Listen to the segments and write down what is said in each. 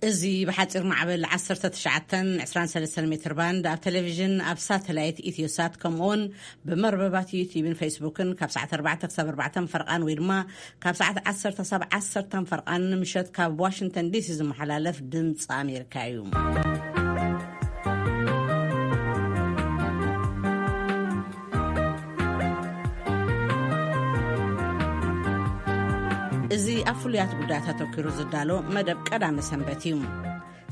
እዚ ብሓፂር ማዕበል ዓሰርተ ትሽዓተን ዕስራን ሰለስተን ሜትር ባንድ ኣብ ቴሌቪዥን፣ ኣብ ሳተላይት ኢትዮሳት፣ ከምኡውን ብመርበባት ዩቲዩብን ፌስቡክን ካብ ሰዓት ኣርባዕተ ክሳብ ኣርባዕተ ፈርቓን ወይ ድማ ካብ ሰዓት ዓሰርተ ክሳብ ዓሰርተ ፈርቓን ንምሸት ካብ ዋሽንግተን ዲሲ ዝመሓላለፍ ድምፂ ኣሜሪካ እዩ። እዚ ኣብ ፍሉያት ጉዳያት ኣተኲሩ ዝዳሎ መደብ ቀዳመ ሰንበት እዩ።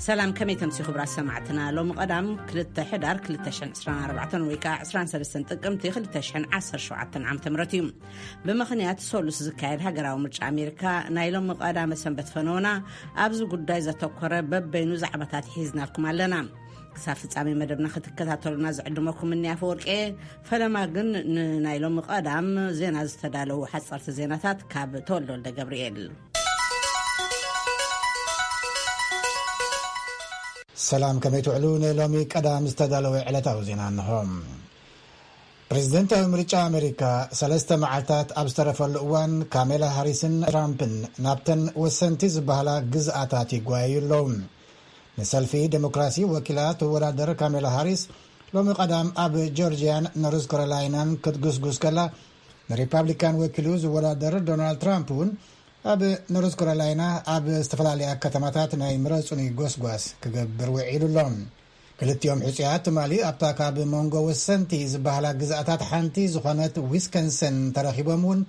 ሰላም፣ ከመይ ተምሲ ክቡራት ሰማዕትና? ሎሚ ቀዳም ክልተ ሕዳር ክልተ ሽሕን ዕስራን ኣርባዕተን ወይ ከዓ ዕስራን ሰለስተን ጥቅምቲ ክልተ ሽሕን ዓሰርተ ሸውዓተን ዓመተ ምህረት እዩ። ብምኽንያት ሶሉስ ዝካየድ ሃገራዊ ምርጫ ኣሜሪካ፣ ናይ ሎሚ ቀዳመ ሰንበት ፈነውና ኣብዚ ጉዳይ ዘተኮረ በበይኑ ዛዕባታት ሒዝናልኩም ኣለና። ክሳብ ፍጻሜ መደብና ክትከታተሉና ዝዕድመኩም እኒ ኣፈወርቄ። ፈለማ ግን ንናይ ሎሚ ቀዳም ዜና ዝተዳለዉ ሓጸርቲ ዜናታት ካብ ተወልደ ወልደ ገብርኤል። ሰላም፣ ከመይ ትውዕሉ? ንሎሚ ቀዳም ዝተዳለወ ዕለታዊ ዜና እንሆ። ፕሬዝደንታዊ ምርጫ ኣሜሪካ ሰለስተ መዓልታት ኣብ ዝተረፈሉ እዋን፣ ካሜላ ሃሪስን ትራምፕን ናብተን ወሰንቲ ዝበሃላ ግዝኣታት ይጓየዩ ኣለዉ። ንሰልፊ ዴሞክራሲ ወኪላ ትወዳደር ካሜላ ሃሪስ ሎሚ ቀዳም ኣብ ጆርጂያን ኖርዝ ካሮላይናን ክትጉስጉስ ከላ፣ ንሪፓብሊካን ወኪሉ ዝወዳደር ዶናልድ ትራምፕ እውን ኣብ ኖርዝ ካሮላይና ኣብ ዝተፈላለያ ከተማታት ናይ ምረጹኒ ጎስጓስ ክገብር ውዒሉ ኣሎ። ክልቲኦም ሕጹያት ትማሊ ኣብታ ካብ መንጎ ወሰንቲ ዝበሃላ ግዝኣታት ሓንቲ ዝኾነት ዊስከንሰን ተረኺቦም እውን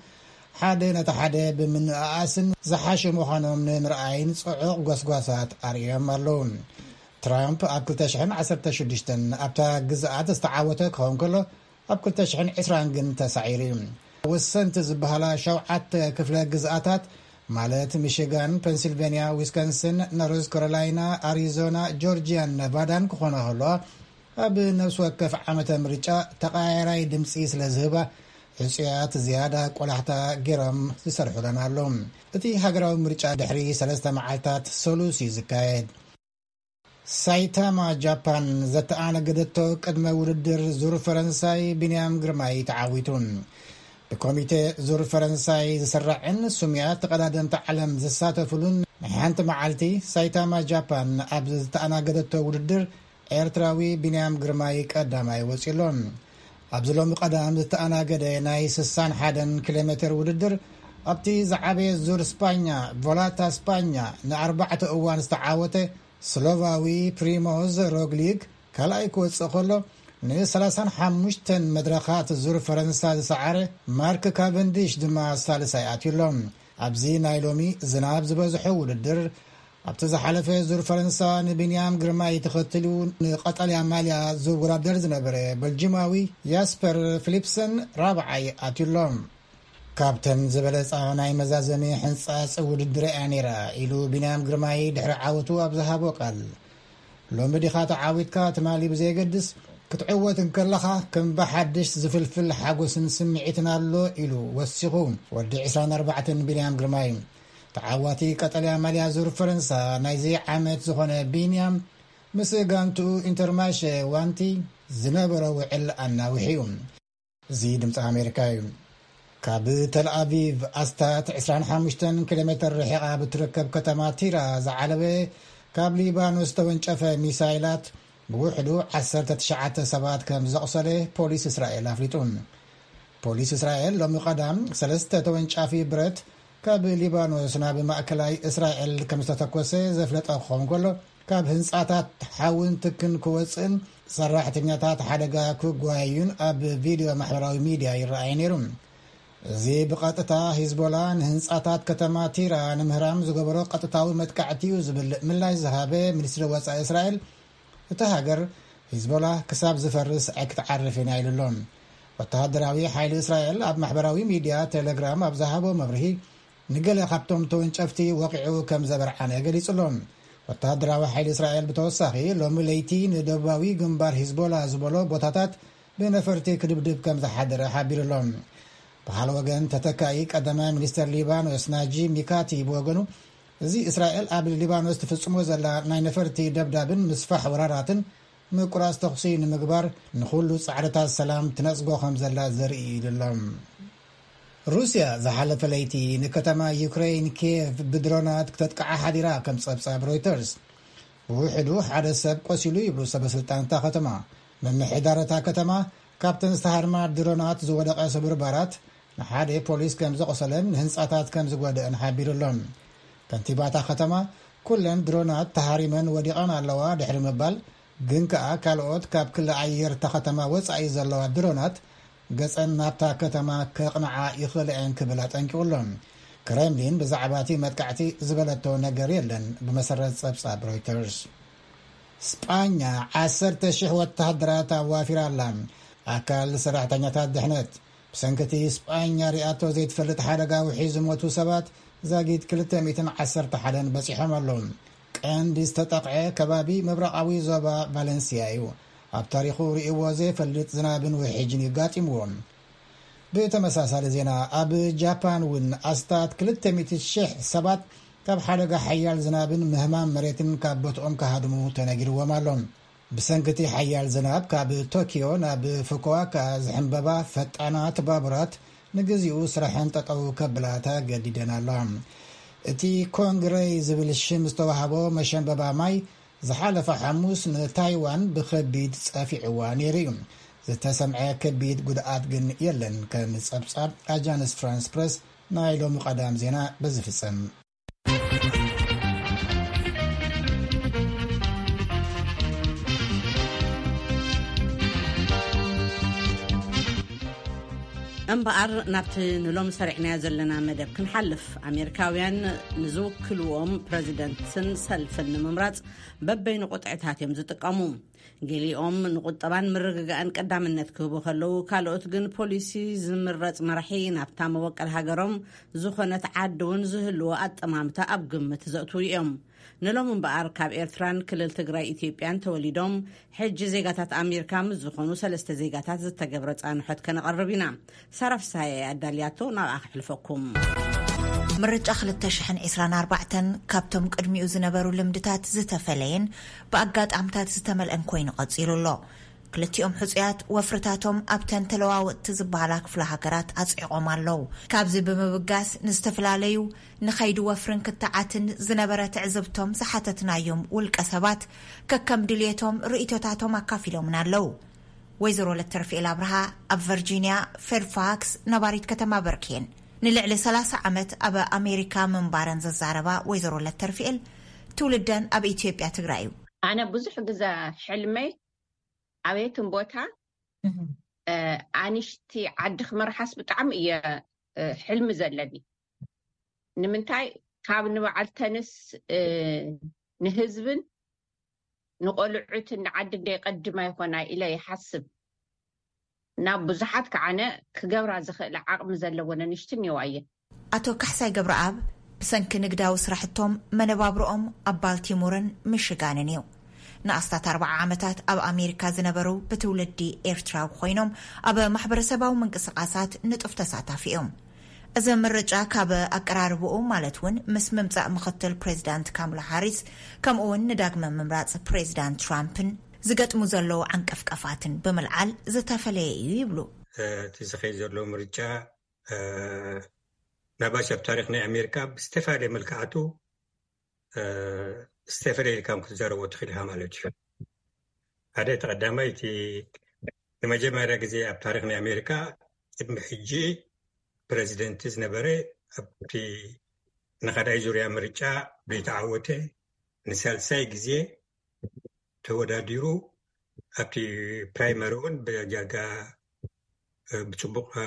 ሓደ ነቲ ሓደ ብምንእኣስን ዝሓሹ ምዃኖም ንምርኣይን ጽዑቕ ጎስጓሳት ኣርእዮም ኣለዉ። ትራምፕ ኣብ ክልተ ሽሕን ዓሰርተ ሽዱሽተን ኣብታ ግዝኣት ዝተዓወተ ክኸውን ከሎ፣ ኣብ ክልተ ሽሕን ዕስራን ግን ተሳዒሩ እዩ። ወሰንቲ ዝበሃላ ሸውዓተ ክፍለ ግዝኣታት፣ ማለት ሚሽጋን፣ ፔንሲልቬንያ፣ ዊስኮንሲን፣ ኖርዝ ካሮላይና፣ ኣሪዞና፣ ጆርጂያን ነቫዳን ክኾና ከለዋ፣ ኣብ ነፍሲ ወከፍ ዓመተ ምርጫ ተቐያየራይ ድምፂ ስለ ዝህባ፣ ሕፁያት ዝያዳ ቆላሕታ ገይሮም ዝሰርሑለን ኣሎ። እቲ ሃገራዊ ምርጫ ድሕሪ ሰለስተ መዓልታት ሰሉስ እዩ ዝካየድ። ሳይታማ ጃፓን ዘተኣናገደቶ ቅድመ ውድድር ዙር ፈረንሳይ ቢንያም ግርማይ ተዓዊቱ። ብኮሚቴ ዙር ፈረንሳይ ዝስራዕን ስሙያት ተቐዳደምቲ ዓለም ዝሳተፍሉን ናይ ሓንቲ መዓልቲ ሳይታማ ጃፓን ኣብ ዝተኣናገደቶ ውድድር ኤርትራዊ ቢንያም ግርማይ ቀዳማይ ወፂኡ ኣሎ። ኣብዚ ሎሚ ቀዳም ዝተኣናገደ ናይ ስሳን ሓደን ኪሎ ሜትር ውድድር ኣብቲ ዝዓበየ ዙር ስፓኛ ቮላታ ስፓኛ ንኣርባዕተ እዋን ዝተዓወተ ስሎቫዊ ፕሪሞዝ ሮግሊክ ካልኣይ ክወጽእ ከሎ፣ ንሰላሳን ሓሙሽተን መድረኻት ዙር ፈረንሳ ዝሰዓረ ማርክ ካቨንዲሽ ድማ ሳልሳይ ኣትዩ ኣሎ። ኣብዚ ናይ ሎሚ ዝናብ ዝበዝሖ ውድድር፣ ኣብቲ ዝሓለፈ ዙር ፈረንሳ ንቢንያም ግርማይ ተኸትሉ ንቐጠልያ ማልያ ዝወዳደር ዝነበረ በልጂማዊ ያስፐር ፊሊፕሰን ራብዓይ ኣትዩ ኣሎ። ካብተን ዝበለጻ ናይ መዛዘሚ ሕንጻጽ ውድድር እያ ነይራ ኢሉ ቢንያም ግርማይ ድሕሪ ዓወቱ ኣብ ዝሃቦ ቃል፣ ሎሚ ዲኻ ተዓዊትካ ትማሊ ብዘየገድስ፣ ክትዕወት እንከለኻ ከም ብሓድሽ ዝፍልፍል ሓጎስን ስምዒትን ኣሎ ኢሉ ወሲኹ። ወዲ ዕስራን ኣርባዕተን ቢንያም ግርማይ፣ ተዓዋቲ ቀጠልያ ማልያ ዙር ፈረንሳ ናይዚ ዓመት ዝኾነ ቢንያም፣ ምስ ጋንትኡ ኢንተርማሸ ዋንቲ ዝነበሮ ውዕል ኣናዊሑ እዩ። እዚ ድምፂ ኣሜሪካ እዩ። ካብ ተልኣቪቭ ኣስታት ዕስራን ሓሙሽተን ኪሎ ሜትር ርሒቓ ብትርከብ ከተማ ቲራ ዝዓለበ ካብ ሊባኖስ ተወንጨፈ ሚሳይላት ብውሕዱ ዓሰርተ ትሽዓተ ሰባት ከም ዘቑሰለ ፖሊስ እስራኤል ኣፍሊጡ። ፖሊስ እስራኤል ሎሚ ቀዳም ሰለስተ ተወንጫፊ ብረት ካብ ሊባኖስ ናብ ማእከላይ እስራኤል ከም ዝተተኮሰ ዘፍለጠ ክኸውን ከሎ፣ ካብ ህንጻታት ሓውን ትክን ክወጽእን ሰራሕተኛታት ሓደጋ ክጓየዩን ኣብ ቪድዮ ማሕበራዊ ሚድያ ይረኣይ ነይሩ። እዚ ብቐጥታ ሂዝቦላ ንህንጻታት ከተማ ቲራ ንምህራም ዝገበሮ ቀጥታዊ መጥቃዕቲ እዩ ዝብል ምላሽ ዝሃበ ሚኒስትሪ ወጻኢ እስራኤል፣ እቲ ሃገር ሂዝቦላ ክሳብ ዝፈርስ ኣይክትዓርፍን እያ ኢሉ ኣሎ። ወተሃደራዊ ሓይሊ እስራኤል ኣብ ማሕበራዊ ሚድያ ቴሌግራም ኣብ ዝሃቦ መብርሂ፣ ንገለ ካብቶም ተወንጨፍቲ ወቒዑ ከም ዘበርዓነ ገሊጹ ኣሎ። ወተሃደራዊ ሓይሊ እስራኤል ብተወሳኺ ሎሚ ለይቲ ንደቡባዊ ግንባር ሂዝቦላ ዝበሎ ቦታታት ብነፈርቲ ክድብድብ ከም ዝሓደረ ሓቢሩ ኣሎ። ብኻልእ ወገን፣ ተተካኢ ቀዳማይ ሚኒስተር ሊባኖስ ናጂ ሚካቲ ብወገኑ፣ እዚ እስራኤል ኣብ ሊባኖስ ትፍጽሞ ዘላ ናይ ነፈርቲ ደብዳብን ምስፋሕ ወራራትን ምቁራጽ ተኹሲ ንምግባር ንኹሉ ጻዕርታት ሰላም ትነጽጎ ከም ዘላ ዘርኢ እዩ ኢሉ ኣሎ። ሩስያ ዝሓለፈ ለይቲ ንከተማ ዩክሬን ኪየቭ ብድሮናት ክተጥቅዓ ሓዲራ፣ ከም ጸብጻብ ሮይተርስ። ብውሕዱ ሓደ ሰብ ቆሲሉ ይብሉ ሰበስልጣን እታ ከተማ። ምምሕዳር እታ ከተማ ካብተን ዝተሃርማ ድሮናት ዝወደቐ ስብርባራት ንሓደ ፖሊስ ከም ዘቆሰለን ንህንጻታት ከም ዝጎደአን ሓቢሩ ኣሎ። ከንቲባታ ከተማ፣ "ኩለን ድሮናት ተሃሪመን ወዲቐን ኣለዋ" ድሕሪ ምባል፣ ግን ከኣ ካልኦት ካብ ክሊ ኣየር እታ ከተማ ወጻኢ ዘለዋ ድሮናት ገጸን ናብታ ከተማ ከቕንዓ ይኽእላ እየን ክብል ኣጠንቂቑ ኣሎ። ክሬምሊን ብዛዕባ እቲ መጥቃዕቲ ዝበለቶ ነገር የለን፣ ብመሰረት ጸብጻብ ሮይተርስ። ስጳኛ ዓሰርተ ሽሕ ወተሃደራት ኣዋፊራ ኣላ። ኣካል ሰራሕተኛታት ድሕነት። ብሰንኪ እቲ ስጳኛ ሪኣቶ ዘይትፈልጥ ሓደጋ ውሒ ዝሞቱ ሰባት ዛጊድ ክልተ ሚእትን ዓሰርተ ሓደን በጺሖም ኣለዉ። ቀንዲ ዝተጠቕዐ ከባቢ ምብራቓዊ ዞባ ቫለንሲያ እዩ። ኣብ ታሪኹ ርእይዎ ዘይፈልጥ ዝናብን ውሕጅን እዩ ኣጋጢምዎ። ብተመሳሳሊ ዜና፣ ኣብ ጃፓን እውን ኣስታት ክልተ ሚእቲ ሽሕ ሰባት ካብ ሓደጋ ሓያል ዝናብን ምህማም መሬትን ካብ ቦትኦም ክሃድሙ ተነጊርዎም ኣሎ። ብሰንኪ እቲ ሓያል ዝናብ፣ ካብ ቶኪዮ ናብ ፉኩዋካ ዝሕንበባ ፈጣናት ባቡራት ንግዚኡ ስራሐን ጠጠው ከብላ ተገዲደን ኣለዋ። እቲ ኮንግረይ ዝብል ሽም ዝተዋህቦ መሸንበባ ማይ ዝሓለፈ ሓሙስ ንታይዋን ብኸቢድ ጸፊዕዋ ነይሩ እዩ። ዝተሰምዐ ከቢድ ጉድኣት ግን የለን፣ ከም ጸብጻብ ኣጃንስ ፍራንስ ፕረስ ናይ ሎሚ ቀዳም ዜና በዚ ፍጸም። እምበኣር፣ ናብቲ ንሎም ሰሪዕናዮ ዘለና መደብ ክንሓልፍ፣ ኣሜሪካውያን ንዝውክልዎም ፕረዚደንትን ሰልፍን ንምምራጽ በበይኑ ቁጥዕታት እዮም ዝጥቀሙ። ገሊኦም ንቁጠባን ምርግጋእን ቀዳምነት ክህቡ ከለዉ፣ ካልኦት ግን ፖሊሲ ዝምረጽ መራሒ ናብታ መበቀል ሃገሮም ዝኾነት ዓዲ እውን ዝህልዎ ኣጠማምታ ኣብ ግምት ዘእትዉ እዮም። ንሎም እምበኣር፣ ካብ ኤርትራን ክልል ትግራይ ኢትዮጵያን ተወሊዶም ሕጂ ዜጋታት ኣሜሪካ ምስ ዝኾኑ ሰለስተ ዜጋታት ዝተገብረ ጻንሖት ከነቐርብ ኢና። ሳራ ፍስሃየ ኣዳልያቶ፣ ናብኣ ክሕልፈኩም። ምርጫ ክልተ ሽሕን ዕስራን ኣርባዕተን ካብቶም ቅድሚኡ ዝነበሩ ልምድታት ዝተፈለየን ብኣጋጣምታት ዝተመልአን ኮይኑ ቀጺሉ ኣሎ። ክልቲኦም ሕጹያት ወፍርታቶም ኣብተን ተለዋወጥቲ ዝበሃላ ክፍለ ሃገራት ኣጽዒቖም ኣለዉ። ካብዚ ብምብጋስ፣ ንዝተፈላለዩ ንኸይዲ ወፍርን ክትዓትን ዝነበረ ትዕዝብቶም ዝሓተትናዮም ውልቀ ሰባት ከከም ድልየቶም ርእይቶታቶም ኣካፊሎምና ኣለዉ። ወይዘሮ ለተርፍኤል ኣብርሃ ኣብ ቨርጂንያ ፌርፋክስ ነባሪት ከተማ በርኬን፣ ንልዕሊ ሰላሳ ዓመት ኣብ ኣሜሪካ ምንባረን ዘዛረባ ወይዘሮ ለተርፍኤል፣ ትውልደን ኣብ ኢትዮጵያ ትግራይ እዩ። ኣነ ብዙሕ ግዜ ሕልመይ ኣበየትን ቦታ፣ እ፣ ኣንሽቲ ዓዲ ክመርሓስ ብጣዕሚ እየ፣ እ፣ ሕልሚ ዘለኒ። ንምንታይ? ካብ ንበዓልተንስ፣ እ፣ ንህዝብን ንቆልዑትን ንዓዲ እንደ ቀድማ ይኾና ኢለ ይሓስብ። ናብ ብዙሓት ከዓነ ክገብራ ዝኽእላ ዓቕሚ ዘለወን ኣንሽቲ እኒዋ እየን። ኣቶ ካሕሳይ ገብረኣብ ብሰንኪ ንግዳዊ ስራሕቶም መነባብሮኦም ኣብ ባልቲሞርን ሚሽጋንን እዩ። ንኣስታት ኣርባዓ ዓመታት ኣብ ኣሜሪካ ዝነበሩ ብትውልዲ ኤርትራዊ ኮይኖም፣ ኣብ ማሕበረሰባዊ ምንቅስቓሳት ንጡፍ ተሳታፊ እዮም። እዚ ምርጫ ካብ ኣቀራርብኡ፣ ማለት እውን ምስ ምምጻእ ምኽትል ፕሬዚዳንት ካምላ ሃሪስ፣ ከምኡ እውን ንዳግመ ምምራጽ ፕሬዚዳንት ትራምፕን ዝገጥሙ ዘለዉ ዓንቀፍቀፋትን ብምልዓል ዝተፈለየ እዩ ይብሉ። እቲ ዝኸይድ ዘሎ ምርጫ፣ እ፣ ናባሽ ኣብ ታሪኽ ናይ ኣሜሪካ ብዝተፈላለየ መልክዓቱ፣ እ፣ ዝተፈለየ ኢልካ ክትዛረቦ ትኽእል ኢኻ ማለት እዩ። ሓደ፣ እቲ ቀዳማይ፣ እቲ ንመጀመርያ ግዜ ኣብ ታሪኽ ናይ ኣሜሪካ ቅድሚ ሕጂ ፕረዚደንት ዝነበረ ኣብቲ ንኻልኣይ ዙርያ ምርጫ ዘይተዓወተ ንሳልሳይ ግዜ ተወዳዲሩ ኣብቲ ፕራይመሪ እውን ብዳርጋ፣ እ፣ ብፅቡቕ፣ እ፣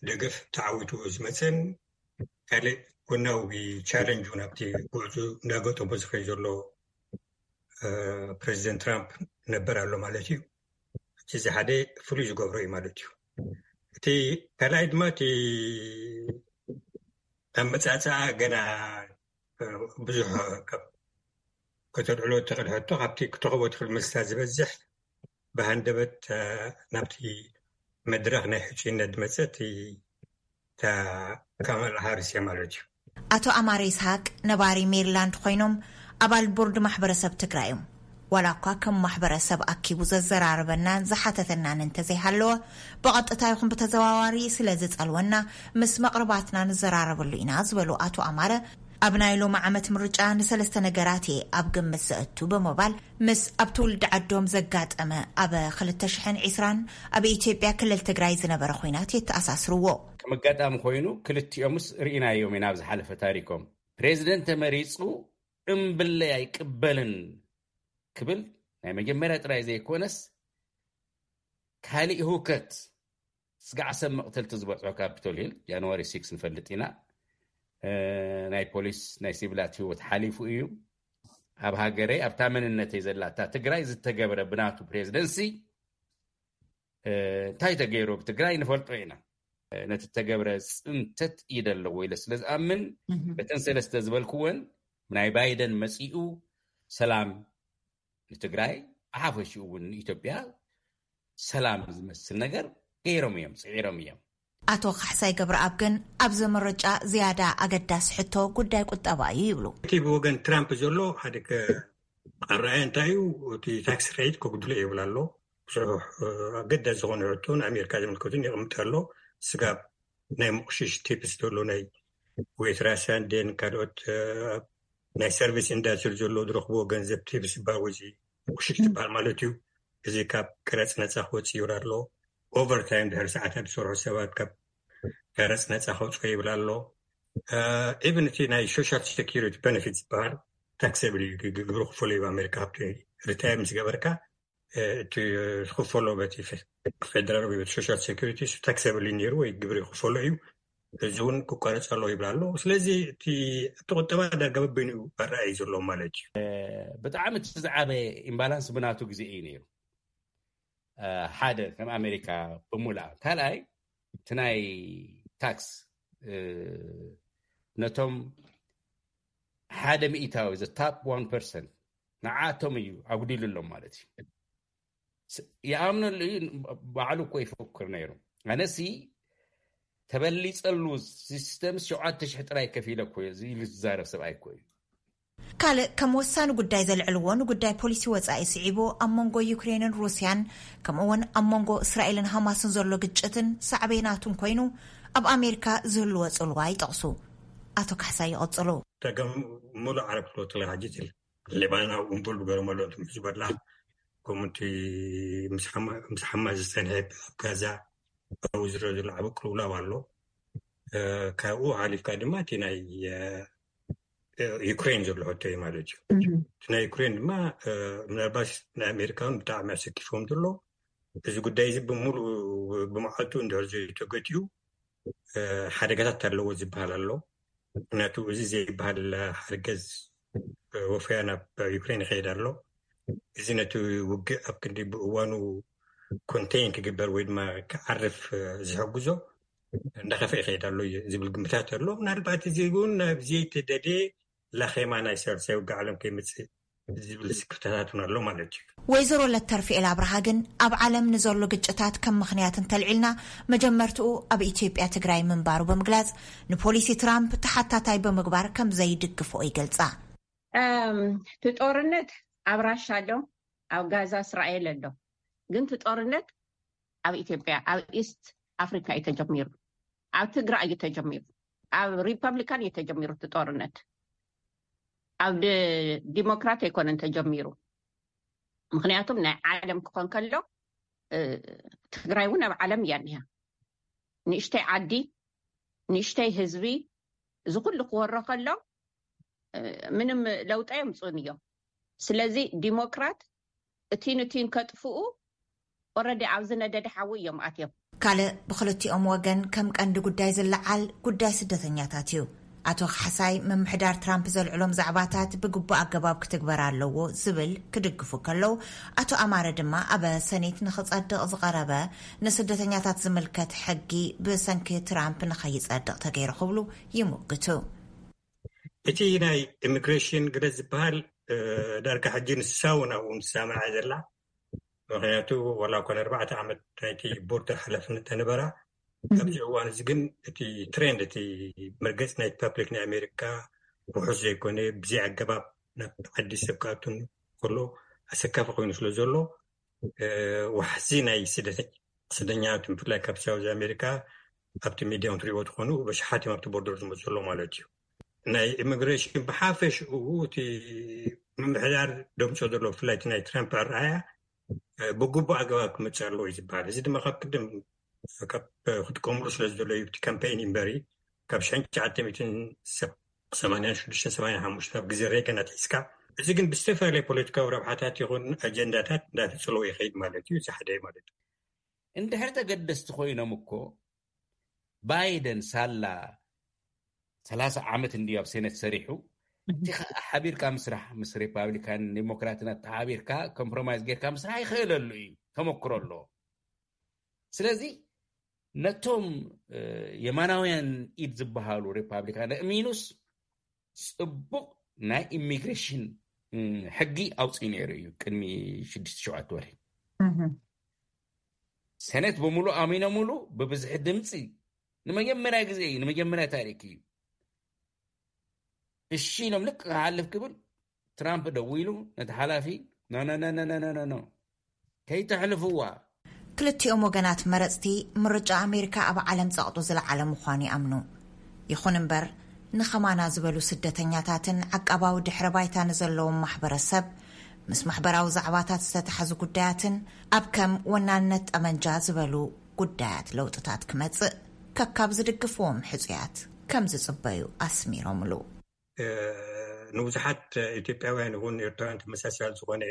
ደገፍ ተዓዊቱ ዝመፀን ካልእ ጎናዊ ቻለንጅ እውን ኣብቲ ጉዕዞ እንዳገጠሞ ዝኸይ ዘሎ፣ እ፣ ፕሬዚደንት ትራምፕ ነበር ኣሎ ማለት እዩ። እቲ እዚ ሓደ ፍሉይ ዝገብሮ እዩ ማለት እዩ። እቲ ካልኣይ ድማ እቲ ኣመፃፅኣ ገና ብዙሕ ካብ ከተልዕሎ እትኽእል ሕቶ፣ ካብቲ ክትረኽቦ ትኽእል መልስታት ዝበዝሕ ብሃንደበት፣ እ፣ ናብቲ መድረኽ ናይ ሕጹይነት ዝመጸት እታ ካማላ ሃሪስ እያ ማለት እዩ። ኣቶ ኣማረ ይስሃቅ ነባሪ ሜሪላንድ ኮይኖም፣ ኣባል ቦርድ ማሕበረሰብ ትግራይ እዮም። ዋላ እኳ ከም ማሕበረሰብ ኣኪቡ ዘዘራርበናን ዝሓተተናን እንተዘይሃለወ፣ ብቐጥታ ይኹን ብተዘዋዋሪ ስለ ዝጸልወና፣ ምስ መቕርባትና ንዘራረበሉ ኢና ዝበሉ ኣቶ ኣማረ፣ ኣብ ናይ ሎሚ ዓመት ምርጫ ንሰለስተ ነገራት እየ ኣብ ግምት ዘእቱ ብምባል፣ ምስ ኣብ ትውልዲ ዓዶም ዘጋጠመ ኣብ ክልተ ሽሕን ዕስራን ኣብ ኢትዮጵያ ክልል ትግራይ ዝነበረ ኹናት የተኣሳስርዎ። ከም ኣጋጣሚ ኮይኑ፣ ክልቲኦምስ ርኢናዮም ኢና ኣብ ዝሓለፈ ታሪኮም። ፕሬዚደንት ተመሪጹ እምብለይ ኣይቅበልን ክብል ናይ መጀመርያ ጥራይ ዘይኮነስ፣ ካሊእ ህውከት፣ ስጋዕ ሰብ መቕተልቲ ዝበፅሖ ካፒቶል ሂል ጃንዋሪ ሲክስ ንፈልጥ ኢና። እ፣ ናይ ፖሊስ ናይ ሲቪላት ህይወት ሓሊፉ እዩ። ኣብ ሃገረይ፣ ኣብታ መንነተይ ዘላታ ትግራይ ዝተገብረ ብናቱ ፕሬዚደንሲ፣ እ፣ እንታይ ተገይሩ ኣብ ትግራይ ንፈልጦ ኢና። እ፣ ነቲ ተገብረ ፅንተት ኢደ ኣለዎ ኢለ ስለ ዝኣምን፣ እተን ሰለስተ ዝበልክወን፣ ናይ ባይደን መፂኡ ሰላም ንትግራይ፣ ብሓፈሽኡ እውን ንኢትዮጵያ ሰላም ዝመስል ነገር ገይሮም እዮም፣ ፅዒሮም እዮም። ኣቶ ካሕሳይ ገብረኣብ ግን ኣብዚ ምርጫ ዝያዳ ኣገዳሲ ሕቶ ጉዳይ ቁጠባ እዩ ይብሉ። እቲ ብወገን ትራምፕ ዘሎ ሓደ ከ-፣ ኣረኣእያ እንታይ እዩ? እቲ ታክስ ሬት ከጉድሎ ይብል ኣሎ። ብዙሕ፣ እ፣ ኣገዳሲ ዝኾነ ሕቶ ንኣሜሪካ ዝምልከቱን የቕምጥ ኣሎ። ስጋብ ናይ ምቑሽሽ ቲፕስ ዘሎ ናይ ዌትራስ ኣንዴን ካልኦት፣ እ፣ ናይ ሰርቪስ ኢንዳስትሪ ዘሎ ዝረኽብዎ ገንዘብ ቲፕስ ባወዚ ምቑሽሽ ዝበሃል ማለት እዩ። እዚ ካብ ቀረፅ ነፃ ክወፅእ ይብል ኣሎ። ኦቨርታይም ድሕሪ ሰዓታት ዝሰርሑ ሰባት ካብ ቀረፅ ነፃ ከውፅኦ ይብል ኣሎ። ኢቨን እቲ ናይ ሶሻል ሴኪሪቲ ቤነፊት ዝበሃል ታክሰብል እዩ፣ ግ-፣ ግብሪ ክፈሎ እዩ። ኣሜሪካ ካብቲ ሪታየር ምስ ገበርካ፣ እ፣ እቲ ዝኽፈሎ በቲ ፌ-፣ ፌደራል ወይ በቲ ሶሻል ሴኪሪቲ እሱ ታክሰብል እዩ ነይሩ ወይ ግብሪ ክፈሎ እዩ። እዚ እውን ክቋረፅ ኣለዎ ይብል ኣሎ። ስለዚ እቲ፣ እቲ ቁጠባ ዳርጋ በበይኑ ኣረኣእዩ ዘሎ ማለት እዩ። ብጣዕሚ እቲ ዝዓበየ ኢምባላንስ ብናቱ ግዜ እዩ ነይሩ። እ፣ ሓደ ከም ኣሜሪካ ብምሉኣ። ካልኣይ፣ እቲ ናይ ታክስ፣ እ፣ ነቶም ሓደ ሚእታዊ፣ the top one percent፣ ንዓቶም እዩ ኣጉዲሉሎም ማለት እዩ። ስ-፣ ይኣምነሉ እዩ፣ ባዕሉ እኮ ይፈክር ነይሩ። ኣነሲ ተበሊጸሉ ሲስተም ሸውዓተ ሽሕ ጥራይ ከፊለ እኮ እየ፣ እዚ ኢሉ ዝዛረብ ሰብኣይ እኮ እዩ። ካልእ ከም ወሳኒ ጉዳይ ዘልዕልዎ ንጉዳይ ፖሊሲ ወጻኢ ስዒቡ፣ ኣብ መንጎ ዩክሬንን ሩስያን፣ ከምኡ እውን ኣብ መንጎ እስራኤልን ሃማስን ዘሎ ግጭትን ሳዕቤናቱን ኮይኑ፣ ኣብ ኣሜሪካ ዝህልዎ ጽልዋ ይጠቕሱ ኣቶ ካሕሳይ። ይቕጽሉ። ተገም ሙሉእ ዓረብ ክፍለወት ከለካ ሕጂ ትብል ሌባኖን ኣብ ኢንቮልቭ ገይሮም ኣለዉ፣ እቶም ሕዝቦላ፣ ከምኡ እቲ ምስ ሓማ-፣ ምስ ሓማስ ዝጸንሐ ኣብ ጋዛ ኣብኡ ዝረአ ዘሎ ዓቢ ቅልውላው ኣሎ። እ፣ ካብኡ ሓሊፍካ ድማ እቲ ናይ፣ እ፣ ዩክሬን ዘሎ ሕቶ እዩ ማለት እዩ። እቲ ናይ ዩክሬን ድማ፣ እ፣ ምናልባት ንኣሜሪካውን ብጣዕሚ ኣሰኪፍዎም ዘሎ፣ እዚ ጉዳይ እዚ ብምሉእ ብመዓልቱ እንድሕር ዘይተገቲኡ፣ እ፣ ሓደጋታት ኣለዎ ዝበሃል ኣሎ። ምክንያቱ እዚ ዘይበሃል ሓገዝ፣ እ፣ ወፈያ ናብ ዩክሬን ይኸይድ ኣሎ። እዚ ነቲ ውግእ ኣብ ክንዲ ብእዋኑ ኮንቴይን ክግበር ወይ ድማ ክዓርፍ፣ እ፣ ዝሕግዞ እንዳኸፍአ ይኸይድ ኣሎ እዩ ዝብል ግምታት ኣሎ። ምናልባት እዚ እውን ናብ ዘይተደልየ ላኼማ ናይ ሳልሳይ ውግእ ዓለም ከይመጽእ ዝብል ስክፍታታት እውን ኣሎ ማለት እዩ። ወይዘሮ ለተርፍኤል ኣብርሃ ግን ኣብ ዓለም ንዘሎ ግጭታት ከም ምኽንያት እንተልዒልና፣ መጀመርትኡ ኣብ ኢትዮጵያ ትግራይ ምንባሩ ብምግላጽ፣ ንፖሊሲ ትራምፕ ተሓታታይ ብምግባር ከም ዘይድግፍኦ ይገልጻ። እም፣ እቲ ጦርነት ኣብ ራሻ ኣሎ፣ ኣብ ጋዛ እስራኤል ኣሎ። ግን እቲ ጦርነት ኣብ ኢትዮጵያ፣ ኣብ ኢስት ኣፍሪካ እዩ ተጀሚሩ። ኣብ ትግራይ እዩ ተጀሚሩ። ኣብ ሪፐብሊካን እዩ ተጀሚሩ እቲ ጦርነት። ኣብ ድ-፣ ዲሞክራት ኣይኮነን ተጀሚሩ። ምኽንያቱም ናይ ዓለም ክኾን ከሎ፣ እ፣ ትግራይ እውን ኣብ ዓለም እያ እኒሃ። ንእሽተይ ዓዲ፣ ንእሽተይ ህዝቢ፣ እዚ ኩሉ ክወሮ ከሎ፣ እ፣ ምንም ለውጢ ኣየምፅኡን እዮም። ስለዚ ዲሞክራት እቲን እቲን ከጥፍኡ ኦረዲ ኣብ ዝነደደ ሓዊ እዮም ኣትዮም። ካልእ ብክልቲኦም ወገን ከም ቀንዲ ጉዳይ ዝለዓል ጉዳይ ስደተኛታት እዩ። ኣቶ ካሕሳይ፣ ምምሕዳር ትራምፕ ዘልዕሎም ዛዕባታት ብግቡእ ኣገባብ ክትግበር ኣለዎ ዝብል ክድግፉ ከለዉ፣ ኣቶ ኣማረ ድማ ኣብ ሰኔት ንኽጸድቕ ዝቐረበ ንስደተኛታት ዝምልከት ሕጊ ብሰንኪ ትራምፕ ንኸይጸድቕ ተገይሩ ክብሉ ይምግቱ። እቲ ናይ ኢሚግሬሽን ግደ ዝበሃል፣ እ፣ ዳርጋ ሕጂ ንሳ እውን ኣብኡ ምስሳምዓ ዘላ። ምኽንያቱ ዋላ እኳ ንኣርባዕተ ዓመት ናይቲ ቦርደር ሓላፍነት ተነበራ። ኣብዚ እዋን እዚ ግን እቲ ትሬንድ፣ እቲ መርገፂ ናይ ፓብሊክ ናይ ኣሜሪካ ውሑስ ዘይኮነ፣ ብዘይ ኣገባብ ናብ ዓዲ ሰብ ክኣቱን ከሎ ኣሰካፊ ኮይኑ ስለ ዘሎ፣ ዋሕዚ ናይ ስደተኛታት ብፍላይ ካብ ሳውዝ ኣሜሪካ ኣብቲ ሚድያ ትሪእዎ ትኾኑ፣ በሽሓት እዮም ኣብቲ ቦርደር ዝመፁ ዘሎ ማለት እዩ። ናይ ኢሚግሬሽን ብሓፈሽኡ እቲ ምምሕዳር ደምፆ ዘሎ ብፍላይ እቲ ናይ ትራምፕ ኣረኣያ ብግቡእ ኣገባብ ክመፅእ ኣለዎ እዩ ዝበሃል። እዚ ድማ ካብ ቅድም ካብ ክጥቀምሉ ስለ ዝደለዩ እቲ ካምፔይን እምበሪ ካብ ሽሕን ትሽዓተ ሚእትን ሰማንያን ሽዱሽተን ሰማንያን ሓሙሽተን ኣብ ግዜ ሬገን ኣትሒዝካ፣ እዚ ግን ብዝተፈላለየ ፖለቲካዊ ረብሓታት ይኹን ኣጀንዳታት እንዳተፅለወ ይኸይድ ማለት እዩ። እዚ ሓደ ማለት እዩ። እንድሕር ተገደስቲ ኮይኖም እኮ ባይደን ሳላ ሰላሳ ዓመት እንዲ ኣብ ሴኔት ሰሪሑ እቲ ሓቢርካ ምስራሕ ምስ ሪፓብሊካን ዲሞክራትን ኣተሓቢርካ ኮምፕሮማይዝ ጌርካ ምስራሕ ይኽእለሉ እዩ፣ ተመክሮ ኣሎ። ስለዚ ነቶም የማናውያን ኢድ ዝበሃሉ ሪፓብሊካን እሚኑስ ፅቡቕ ናይ ኢሚግሬሽን ሕጊ ኣውፅኡ ነይሩ እዩ ቅድሚ ሽዱሽተ ሸውዓተ ወርሒ። ሴኔት ብምሉእ ኣሚኖምሉ ብብዝሒ ድምፂ ንመጀመርያ ግዜ እዩ፣ ንመጀመርያ ታሪክ እዩ። እሺ ኢሎም ልክ ክሓልፍ ክብል ትራምፕ ደዊሉ ነቲ ሓላፊ፣ ኖ ኖ ኖ ኖ ኖ ኖ ኖ፣ ከይተሕልፍዋ። ክልቲኦም ወገናት መረፅቲ ምርጫ ኣሜሪካ ኣብ ዓለም ፀቕጡ ዝለዓለ ምዃኑ ይኣምኑ። ይኹን እምበር ንኸማና ዝበሉ ስደተኛታትን ዓቃባዊ ድሕረ ባይታ ንዘለዎም ማሕበረሰብ ምስ ማሕበራዊ ዛዕባታት ዝተተሓዙ ጉዳያትን ኣብ ከም ወናንነት ጠመንጃ ዝበሉ ጉዳያት ለውጥታት ክመፅእ ከካብ ዝድግፍዎም ሕፁያት ከም ዝፅበዩ ኣስሚሮምሉ። ንብዙሓት ኢትዮጵያውያን እውን ኤርትራውያን ተመሳሳሊ ዝኾነ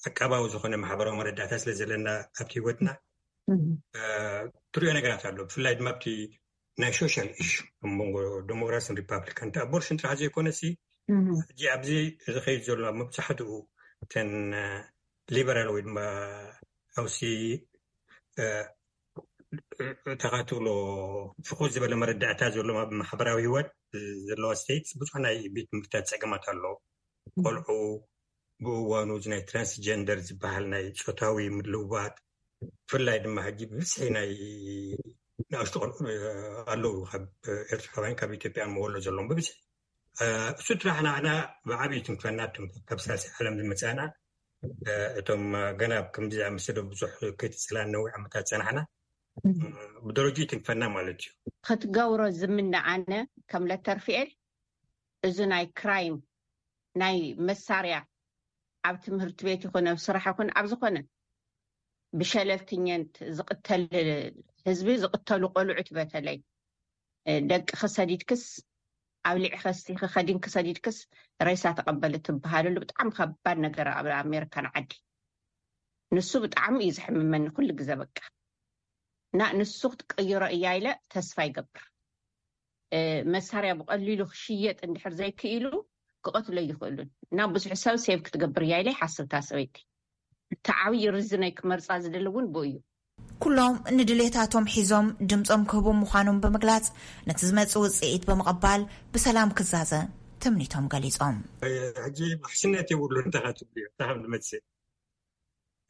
ዓቃባዊ ዝኾነ ማሕበራዊ መረዳእታ ስለ ዘለና ኣብቲ ህይወትና ትሪኦ ነገራት ኣሎ። ብፍላይ ድማ ኣብቲ ናይ ሶሻል ኢሹ ኣብ መንጎ ዴሞክራሲን ሪፓብሊካን እቲ ኣቦርሽን ጥራሕ ዘይኮነሲ ሕጂ ኣብዚ ዝኸይድ ዘሎ ኣብ መብዛሕትኡ እተን ሊበራል ወይ ድማ ሃውሲ ተኻትሎ ፍኹስ ዝበለ መረዳእታ ዘለዎም ኣብ ማሕበራዊ ህይወት ዘለዋ ስቴትስ ብዙሕ ናይ ቤት ትምህርትታት ፀገማት ኣሎ። ቆልዑ ብእዋኑ እዚ ናይ ትራንስጀንደር ዝበሃል ናይ ፆታዊ ምልውዋጥ ብፍላይ ድማ ሕጂ ብብዝሒ ናይ ንኣሽቱ ቆልዑ ኣለዉ ካብ ኤርትራውያን ካብ ኢትዮጵያ መወሎ ዘለዎም ብብዝሒ እሱ ጥራሕ ንዓና ብዓብዪ ትንክፈና ካብ ሳልሳይ ዓለም ዝመፃና እቶም ገና ከምዚ ዝኣመሰለ ብዙሕ ከይትፅላን ነዊሕ ዓመታት ፀናሕና ብደረጃ ይትንክፈና ማለት እዩ። ክትገብሮ ዝምነ ኣነ ከም ለተርፍኤል እዚ ናይ ክራይም ናይ መሳርያ ኣብ ትምህርቲ ቤት ይኹን ኣብ ስራሕ ይኹን ኣብ ዝኾነ ብሸለልትኛት ዝቕተል ህዝቢ ዝቕተሉ ቆልዑት በተለይ ደቂ ክሰዲድክስ ኣብ ልዒ ከስቲኺ ከዲንኪ ሰዲድክስ ሬሳ ተቐበሊ ትበሃለሉ ብጣዕሚ ከባድ ነገር ኣብ ኣሜሪካን ዓዲ። ንሱ ብጣዕሚ እዩ ዘሕምመኒ ኩሉ ግዘ በቃ እና ንሱ ክትቅይሮ እያ ኢለ ተስፋ ይገብር። መሳርያ ብቐሊሉ ክሽየጥ እንድሕር ዘይክኢሉ ክቐትሎ ይኽእሉን እና ብዙሕ ሰብ ሴቭ ክትገብር እያ ኢለ ይሓስብ እታ ሰበይቲ። እቲ ዓብዪ ርዝነይ ክመርፃ ዝደሊ እውን ብኡ እዩ። ኩሎም ንድሌታቶም ሒዞም ድምፆም ክህቡ ምዃኖም ብምግላፅ ነቲ ዝመፅእ ውፅኢት ብምቕባል ብሰላም ክዛዘ ትምኒቶም ገሊፆም። ሕጂ ማሕስነት የብሉ እንታይ ትብልዮ እንታይ ከም ዝመፅእ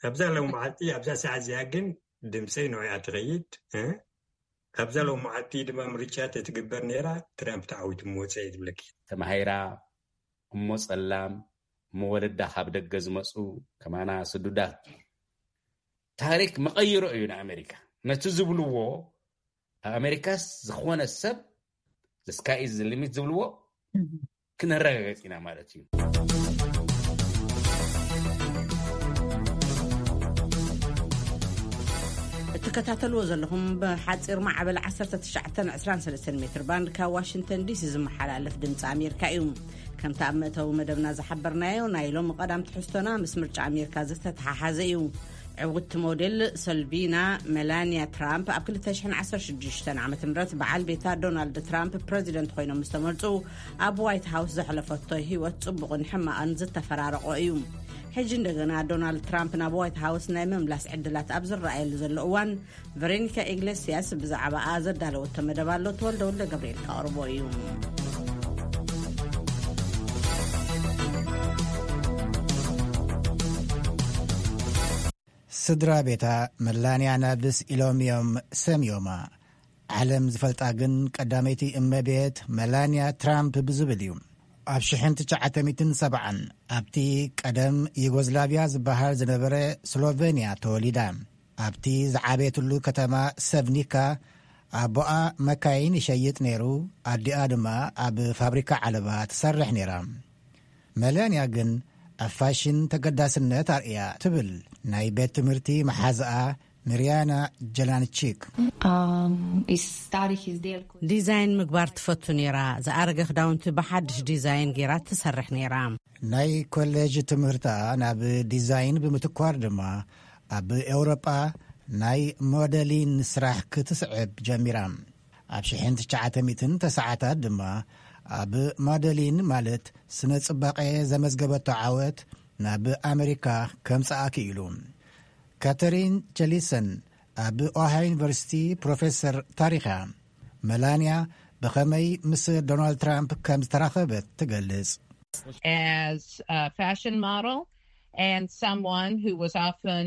ኣብዛ ሎም መዓልቲ ኣብዛ ሰዓት እዚኣ ግን ድምፀይ ንዕኣ ትኸይድ። ኣብዛ ሎም መዓልቲ ድማ ምርጫ ተትግበር ነይራ ትራምፕ ተዓዊቱ ምወፀ እየ ዝብለኪ። ተማሂራ እሞ ፀላም እሞ ወለዳ ካብ ደገ ዝመፁ ከማና ስዱዳት ታሪክ መቐይሮ እዩ ንኣሜሪካ። ነቲ ዝብልዎ ኣብ ኣሜሪካስ ዝኾነ ሰብ the sky is the limit ዝብልዎ ክነረጋገፅ ኢና ማለት እዩ። እትከታተልዎ ዘለኹም ብሓፂር ማዕበል ዓሰርተ ትሽዓተ ዕስራን ሰለስተን ሜትር ባንድ ካብ ዋሽንግተን ዲሲ ዝመሓላለፍ ድምፂ ኣሜሪካ እዩ። ከምቲ ኣብ መእተዊ መደብና ዝሓበርናዮ ናይ ሎሚ ቀዳም ትሕዝቶና ምስ ምርጫ ኣሜሪካ ዝተተሓሓዘ እዩ። ዕውትቲ ሞዴል ሰልቪና መላንያ ትራምፕ ኣብ ክልተ ሽሕን ዓሰርተ ሽዱሽተን ዓመተ ምህረት በዓል ቤታ ዶናልድ ትራምፕ ፕረዚደንት ኮይኖም ምስ ተመርፁ ኣብ ዋይት ሃውስ ዘሕለፈቶ ህይወት ፅቡቕን ሕማቕን ዝተፈራረቆ እዩ። ሕጂ እንደገና ዶናልድ ትራምፕ ናብ ዋይት ሃውስ ናይ ምምላስ ዕድላት ኣብ ዝረኣየሉ ዘሎ እዋን ቨሬኒካ ኢግሌስያስ ብዛዕባኣ ዘዳለወቶ መደብ ኣሎ። ተወልደ ወልደ ገብርኤል ከቕርቦ እዩ። ስድራ ቤታ መላንያ ናብስ ኢሎም እዮም ሰምዮማ። ዓለም ዝፈልጣ ግን ቀዳመይቲ እመቤት መላንያ ትራምፕ ብዝብል እዩ። ኣብ ሽሕን ትሽዓተ ሚእትን ሰብዓን ኣብቲ ቀደም ዩጎዝላቪያ ዝበሃል ዝነበረ ስሎቨንያ ተወሊዳ። ኣብቲ ዝዓበየትሉ ከተማ ሰቭኒካ ኣቦኣ መካይን ይሸይጥ ነይሩ፣ ኣዲኣ ድማ ኣብ ፋብሪካ ዓለባ ትሰርሕ ነይራ። መላንያ ግን ኣብ ፋሽን ተገዳስነት ኣርእያ ትብል ናይ ቤት ትምህርቲ መሓዝኣ ሚርያና ጀላንቺክ። ዲዛይን ምግባር ትፈቱ ነይራ። ዝኣረገ ክዳውንቲ ብሓድሽ ዲዛይን ገይራ ትሰርሕ ነይራ። ናይ ኮሌጅ ትምህርታ ናብ ዲዛይን ብምትኳር ድማ ኣብ ኤውሮጳ ናይ ሞዴሊን ስራሕ ክትስዕብ ጀሚራ። ኣብ ሽሕን ትሽዓተ ሚእትን ተስዓታት ድማ ኣብ ሞዴሊን ማለት ስነ ጽባቐ ዘመዝገበቶ ዓወት ናብ ኣሜሪካ ከምጽኣ ክኢሉ። ካተሪን ጀሊሰን ኣብ ኦሃዮ ዩኒቨርሲቲ ፕሮፌሰር ታሪኻ። መላንያ ብኸመይ ምስ ዶናልድ ትራምፕ ከም ዝተራኸበት ትገልጽ። As a fashion model and someone who was often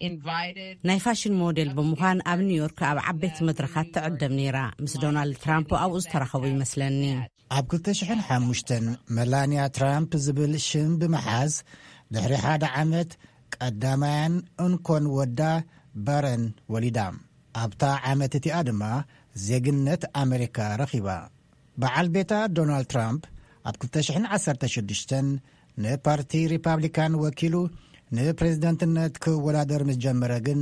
invited ናይ ፋሽን ሞዴል ብምዃን ኣብ ኒውዮርክ ኣብ ዓበይቲ መድረኻት ትዕደም ነይራ። ምስ ዶናልድ ትራምፕ ኣብኡ ዝተራኸቡ ይመስለኒ። ኣብ ክልተ ሽሕን ሓሙሽተን መላንያ ትራምፕ ዝብል ሽም ብምሓዝ ድሕሪ ሓደ ዓመት ቀዳማያን እንኮን ወዳ ባረን ወሊዳ። ኣብታ ዓመት እቲኣ ድማ ዜግነት ኣሜሪካ ረኺባ። በዓል ቤታ ዶናልድ ትራምፕ ኣብ ክልተ ሽሕን ዓሰርተ ሽዱሽተን ንፓርቲ ሪፓብሊካን ወኪሉ ንፕሬዝደንትነት ክወዳደር ምስ ጀመረ ግን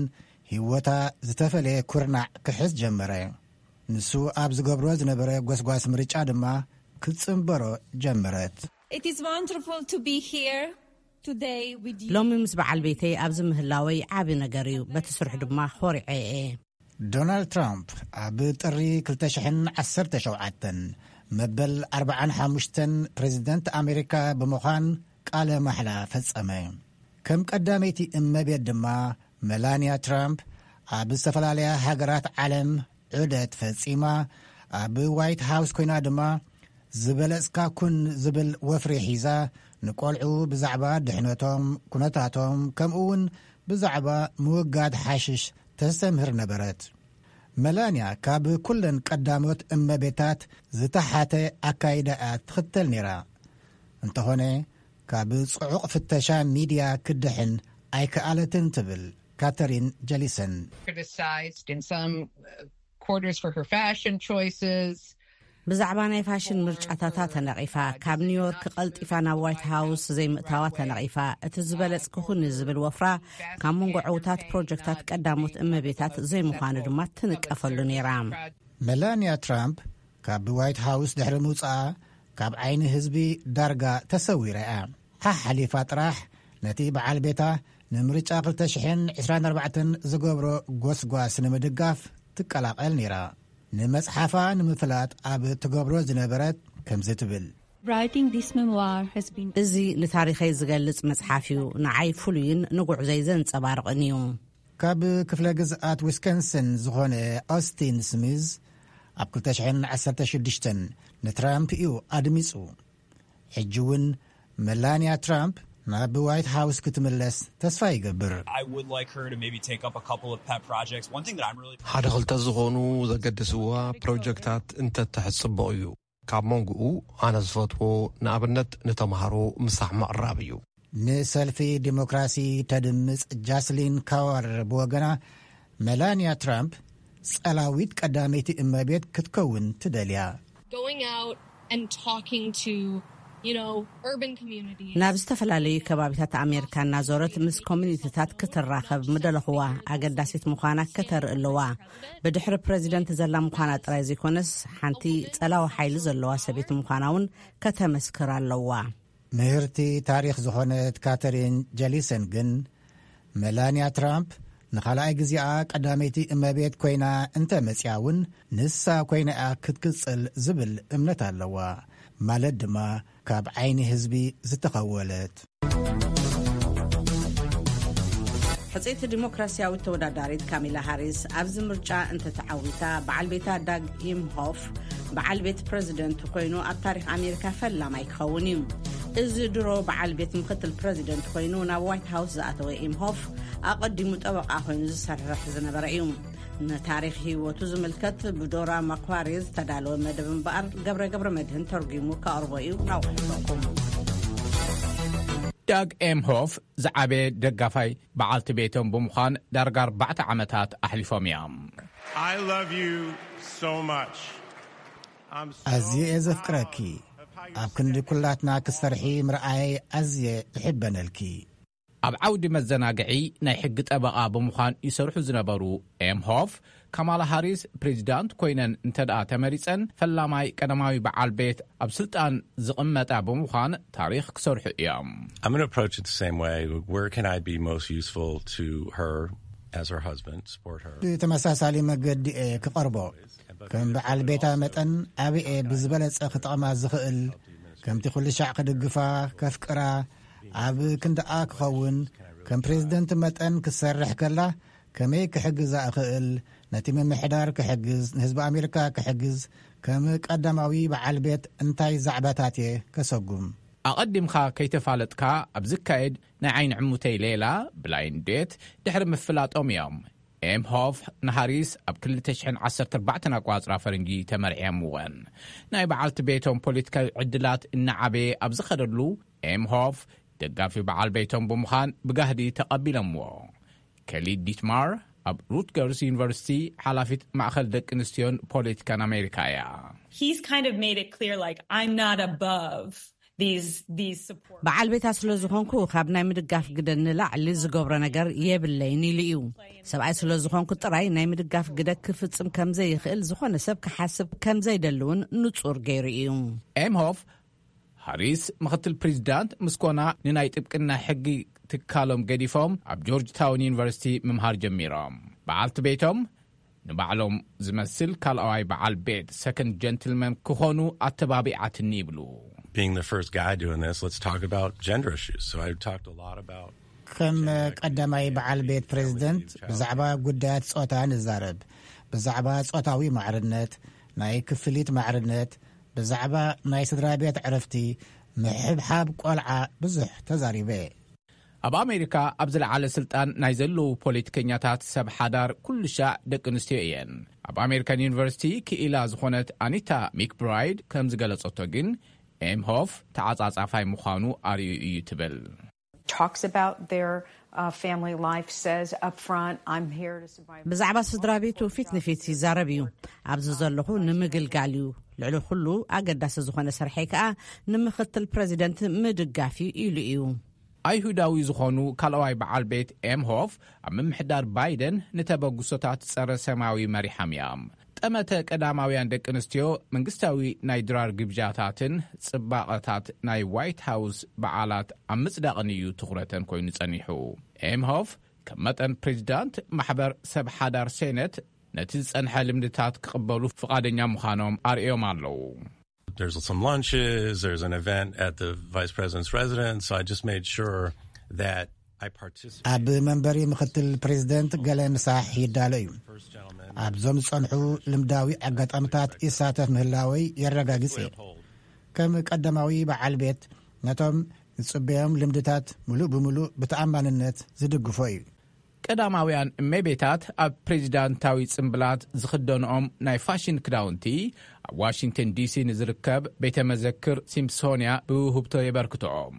ህይወታ ዝተፈለየ ኩርናዕ ክሕዝ ጀመረ። ንሱ ኣብ ዝገብሮ ዝነበረ ጎስጓስ ምርጫ ድማ ክትጽንበሮ ጀመረት። It is wonderful to be here today with you. ሎሚ ምስ በዓል ቤተይ ኣብዚ ምህላወይ ዓቢ ነገር እዩ። በቲ ስርሑ ድማ ኾሪዐ እየ። ዶናልድ ትራምፕ ኣብ ጥሪ ክልተ ሽሕን ዓሰርተ ሸውዓተን መበል ኣርባዓን ሓሙሽተን ፕሬዝደንት ኣሜሪካ ብምዃን ቃለ ማሕላ ፈጸመ። ከም ቀዳመይቲ እመቤት ድማ መላንያ ትራምፕ ኣብ ዝተፈላለያ ሃገራት ዓለም ዑደት ፈጺማ። ኣብ ዋይት ሃውስ ኮይና ድማ ዝበለጽካ ኩን ዝብል ወፍሪ ሒዛ ንቆልዑ ብዛዕባ ድሕነቶም፣ ኩነታቶም፣ ከምኡ እውን ብዛዕባ ምውጋድ ሓሽሽ ተስተምህር ነበረት። መላንያ ካብ ኩለን ቀዳሞት እመቤታት ዝተሓተ ኣካይዳ እያ ትኽተል ነይራ። እንተኾነ ካብ ጽዑቕ ፍተሻ ሚድያ ክድሕን ኣይከኣለትን ትብል ካተሪን ጀሊሰን። criticized in some uh, quarters for her fashion choices. ብዛዕባ ናይ ፋሽን ምርጫታታ ተነቒፋ፣ ካብ ኒውዮርክ ቀልጢፋ ናብ ዋይት ሃውስ ዘይምእታዋ ተነቒፋ። እቲ ዝበለጽክኹኒ ዝብል ወፍራ ካብ መንጎ ዕውታት ፕሮጀክታት ቀዳሞት እመቤታት ዘይምዃኑ ድማ ትንቀፈሉ ነይራ። መላንያ ትራምፕ ካብ ዋይት ሃውስ ድሕሪ ምውጻኣ ካብ ዓይኒ ህዝቢ ዳርጋ ተሰዊራ እያ። ሓሓሊፋ ጥራሕ ነቲ በዓል ቤታ ንምርጫ ክልተ ሽሕን ዕስራን ኣርባዕተን ዝገብሮ ጎስጓስ ንምድጋፍ ትቀላቐል ነይራ። ንመጽሓፋ ንምፍላጥ ኣብ ትገብሮ ዝነበረት ከምዚ ትብል። Writing this memoir has been እዚ ንታሪኸይ ዝገልጽ መጽሓፍ እዩ። ንዓይ ፍሉይን ንጉዕዞይ ዘንጸባርቕን እዩ። ካብ ክፍለ ግዝኣት ዊስኮንሰን ዝኾነ ኦስቲን ስሚዝ ኣብ ክልተ ሽሕን ዓሰርተ ሽዱሽተን ንትራምፕ እዩ ኣድሚጹ። ሕጂ እውን መላንያ ትራምፕ ናብ ዋይት ሃውስ ክትምለስ ተስፋ ይገብር። I would like her to maybe take up a couple of pet projects. One thing that I'm really ሓደ ክልተ ዝኾኑ ዘገድስዋ ፕሮጀክታት እንተትሕዝ ጽቡቕ እዩ። ካብ መንጎኡ ኣነ ዝፈትዎ ንኣብነት ንተምሃሮ ምሳሕ ምቕራብ እዩ። ንሰልፊ ዲሞክራሲ ተድምጽ ጃስሊን ካዋር ብወገና፣ መላንያ ትራምፕ ጸላዊት ቀዳመይቲ እመቤት ክትከውን ትደልያ። Going out and talking to, you know, urban communities. ናብ ዝተፈላለዩ ከባቢታት ኣሜሪካ እናዞረት ምስ ኮሚኒቲታት ክትራኸብ ምደለኹዋ። ኣገዳሲት ምዃና ከተርኢ ኣለዋ። ብድሕሪ ፕሬዚደንት ዘላ ምዃና ጥራይ ዘይኮነስ፣ ሓንቲ ጸላዊ ሓይሊ ዘለዋ ሰበይቲ ምዃና እውን ከተመስክር ኣለዋ። ምህርቲ ታሪኽ ዝኾነት ካተሪን ጀሊሰን ግን፣ መላንያ ትራምፕ ንኻልኣይ ግዜኣ ቀዳመይቲ እመቤት ኮይና እንተ መጽያ እውን፣ ንሳ ኮይና እያ ክትቅጽል ዝብል እምነት ኣለዋ። ማለት ድማ ካብ ዓይኒ ህዝቢ ዝተኸወለት። ሕጽይቲ ዲሞክራሲያዊት ተወዳዳሪት ካሚላ ሃሪስ ኣብዚ ምርጫ እንተተዓዊታ፣ በዓል ቤታ ዳግ ኢምሆፍ በዓል ቤት ፕረዚደንት ኮይኑ ኣብ ታሪኽ ኣሜሪካ ፈላማይ ክኸውን እዩ። እዚ ድሮ በዓል ቤት ምክትል ፕረዚደንት ኮይኑ ናብ ዋይት ሃውስ ዝኣተወ ኢምሆፍ፣ ኣቐዲሙ ጠበቓ ኮይኑ ዝሰርሕ ዝነበረ እዩ። ንታሪኽ ህይወቱ ዝምልከት ብዶራ ማኳሪ ዝተዳለወ መደብ እምበኣር፣ ገብረ ገብረ መድህን ተርጒሙ ከቕርቦ እዩ። ናውሕልፈኩም። ዳግ ኤም ሆፍ ዝዓበየ ደጋፋይ በዓልቲ ቤቶም ብምዃን ዳርጋ ኣርባዕተ ዓመታት ኣሕሊፎም እዮም። I love you so much. I'm so ኣዝየ እየ ዘፍቅረኪ። ኣብ ክንዲ ኩላትና ክትሰርሒ ምርኣየይ ኣዝየ እሕበነልኪ። ኣብ ዓውዲ መዘናግዒ ናይ ሕጊ ጠበቓ ብምዃን ይሰርሑ ዝነበሩ ኤም ሆፍ፣ ካማላ ሃሪስ ፕሬዚዳንት ኮይነን እንተ ደኣ ተመሪጸን፣ ፈላማይ ቀዳማዊ በዓል ቤት ኣብ ስልጣን ዝቕመጣ ብምዃን ታሪኽ ክሰርሑ እዮም። I'm going to approach it the same way. Where can I be most useful to her as her husband, support her? ብተመሳሳሊ መገዲ እየ ክቐርቦ። ከም በዓል ቤታ መጠን ኣበየ ብዝበለጸ ክጠቕማ ዝኽእል፣ ከምቲ ኩሉ ሻዕ ክድግፋ፣ ከፍቅራ፣ ኣብ ክንድኣ ክኸውን፣ ከም ፕሬዚደንት መጠን ክትሰርሕ ከላ ከመይ ክሕግዛ እኽእል፣ ነቲ ምምሕዳር ክሕግዝ፣ ንህዝቢ ኣሜሪካ ክሕግዝ፣ ከም ቀዳማዊ በዓል ቤት እንታይ ዛዕባታት እየ ከሰጉም? ኣቐዲምካ ከይተፋለጥካ ኣብ ዝካየድ ናይ ዓይኒ ዕሙተይ ሌላ፣ ብላይንድ ዴት፣ ድሕሪ ምፍላጦም እዮም ኤም ሆፍ ንሃሪስ ኣብ ክልተ ሽሕን ዓሰርተ ኣርባዕተን ኣቋጽራ ፈረንጂ ተመርዕዮምወን። ናይ በዓልቲ ቤቶም ፖለቲካዊ ዕድላት እናዓበየ ኣብ ዝኸደሉ፣ ኤም ሆፍ ደጋፊ በዓል ቤቶም ብምዃን ብጋህዲ ተቐቢሎምዎ። ከሊ ዲትማር ኣብ ሩትገርስ ዩኒቨርሲቲ ሓላፊት ማእኸል ደቂ ኣንስትዮን ፖለቲካን ኣሜሪካ እያ። He's kind of made it clear, like, I'm not above these these support. በዓል ቤታ ስለ ዝኾንኩ ካብ ናይ ምድጋፍ ግደ ንላዕሊ ዝገብሮ ነገር የብለይን ኢሉ እዩ። ሰብኣይ ስለ ዝኾንኩ ጥራይ ናይ ምድጋፍ ግደ ክፍጽም ከም ዘይኽእል ዝኾነ ሰብ ክሓስብ ከም ዘይደሊ እውን ንጹር ገይሩ እዩ። ኤም ሆፍ ሃሪስ ምኽትል ፕሬዚዳንት ምስ ኮና ንናይ ጥብቅና ሕጊ ትካሎም ገዲፎም ኣብ ጆርጅ ታውን ዩኒቨርሲቲ ምምሃር ጀሚሮም። በዓልቲ ቤቶም ንባዕሎም ዝመስል ካልኣዋይ በዓል ቤት ሰከንድ ጀንትልመን ክኾኑ ኣተባቢዓትኒ ይብሉ። Being the first guy doing this, let's talk about gender issues. So I talked a lot about ከም ቀዳማይ በዓል ቤት ፕሬዚደንት ብዛዕባ ጉዳያት ጾታ ንዛረብ፣ ብዛዕባ ጾታዊ ማዕርነት፣ ናይ ክፍሊት ማዕርነት፣ ብዛዕባ ናይ ስድራ ቤት ዕረፍቲ፣ ምሕብሓብ ቆልዓ ብዙሕ ተዛሪበ። ኣብ ኣሜሪካ ኣብ ዝለዓለ ስልጣን ናይ ዘለዉ ፖለቲከኛታት ሰብ ሓዳር ኩሉ ሻዕ ደቂ ኣንስትዮ እየን። ኣብ ኣሜሪካን ዩኒቨርሲቲ ክኢላ ዝኾነት ኣኒታ ሚክብራይድ ከም ዝገለጸቶ ግን፣ ኤምሆፍ ተዓጻጻፋይ ምዃኑ ኣርእዩ እዩ ትብል። Talks about their uh, family life, says up front, I'm here to support. ብዛዕባ ስድራ ቤቱ ፊት ንፊት ይዛረብ እዩ። ኣብዚ ዘለኹ ንምግልጋል እዩ። ልዕሊ ኩሉ ኣገዳሲ ዝኾነ ስርሐይ ከኣ ንምኽትል ፕረዚደንት ምድጋፍ እዩ ኢሉ እዩ። ኣይሁዳዊ ዝኾኑ ካልኣዋይ በዓል ቤት ኤምሆፍ ኣብ ምምሕዳር ባይደን ንተበግሶታት ጸረ ሰማያዊ መሪሖም እዮም። ጠመተ ቀዳማውያን ደቂ ኣንስትዮ መንግስታዊ ናይ ድራር ግብዣታትን ጽባቐታት ናይ ዋይት ሃውስ በዓላት ኣብ ምጽዳቕን እዩ ትኹረተን ኮይኑ ጸኒሑ። ኤምሆፍ ከም መጠን ፕሬዚዳንት ማሕበር ሰብ ሓዳር ሴነት ነቲ ዝጸንሐ ልምድታት ክቕበሉ ፍቓደኛ ምዃኖም ኣርእዮም ኣለዉ። There's some lunches, there's an event at the vice president's residence, so I just made sure that I participated. ኣብ መንበሪ ምኽትል ፕሬዚደንት ገለ ምሳሕ ይዳሎ እዩ። ኣብዞም ዝጸንሑ ልምዳዊ ኣጋጣሚታት ይሳተፍ ምህላወይ የረጋግጽ እየ። ከም ቀዳማዊ በዓል ቤት ነቶም ዝጽበዮም ልምድታት ምሉእ ብምሉእ ብተኣማንነት ዝድግፎ እዩ። ቀዳማውያን እመቤታት ኣብ ፕሬዚዳንታዊ ጽምብላት ዝኽደንኦም ናይ ፋሽን ክዳውንቲ ኣብ ዋሽንግተን ዲሲ ንዝርከብ ቤተ መዘክር ሲምፕሶንያ ብውህብቶ የበርክትኦም።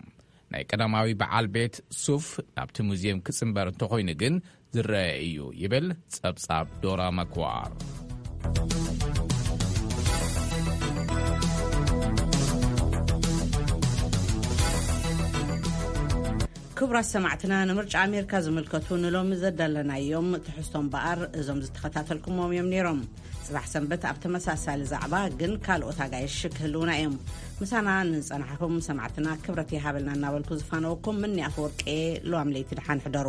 ናይ ቀዳማዊ በዓል ቤት ሱፍ ናብቲ ሙዚየም ክጽንበር እንተኾይኑ ግን ዝረአ እዩ ይብል ጸብጻብ ዶራ መክዋር። ክቡራት ሰማዕትና፣ ንምርጫ ኣሜሪካ ዝምልከቱ ንሎሚ ዘዳለናዮም ትሕዝቶ እምበኣር እዞም ዝተኸታተልኩሞም እዮም ነይሮም። ጽባሕ ሰንበት ኣብ ተመሳሳሊ ዛዕባ ግን ካልኦት ኣጋይሽ ክህልውና እዮም። ምሳና ንጸናሕኩም ሰማዕትና ክብረት ይሃበልና እናበልኩ ዝፋነወኩም ምኒ ኣፈወርቂ፣ ለዋም ለይቲ ደሓን ሕደሩ።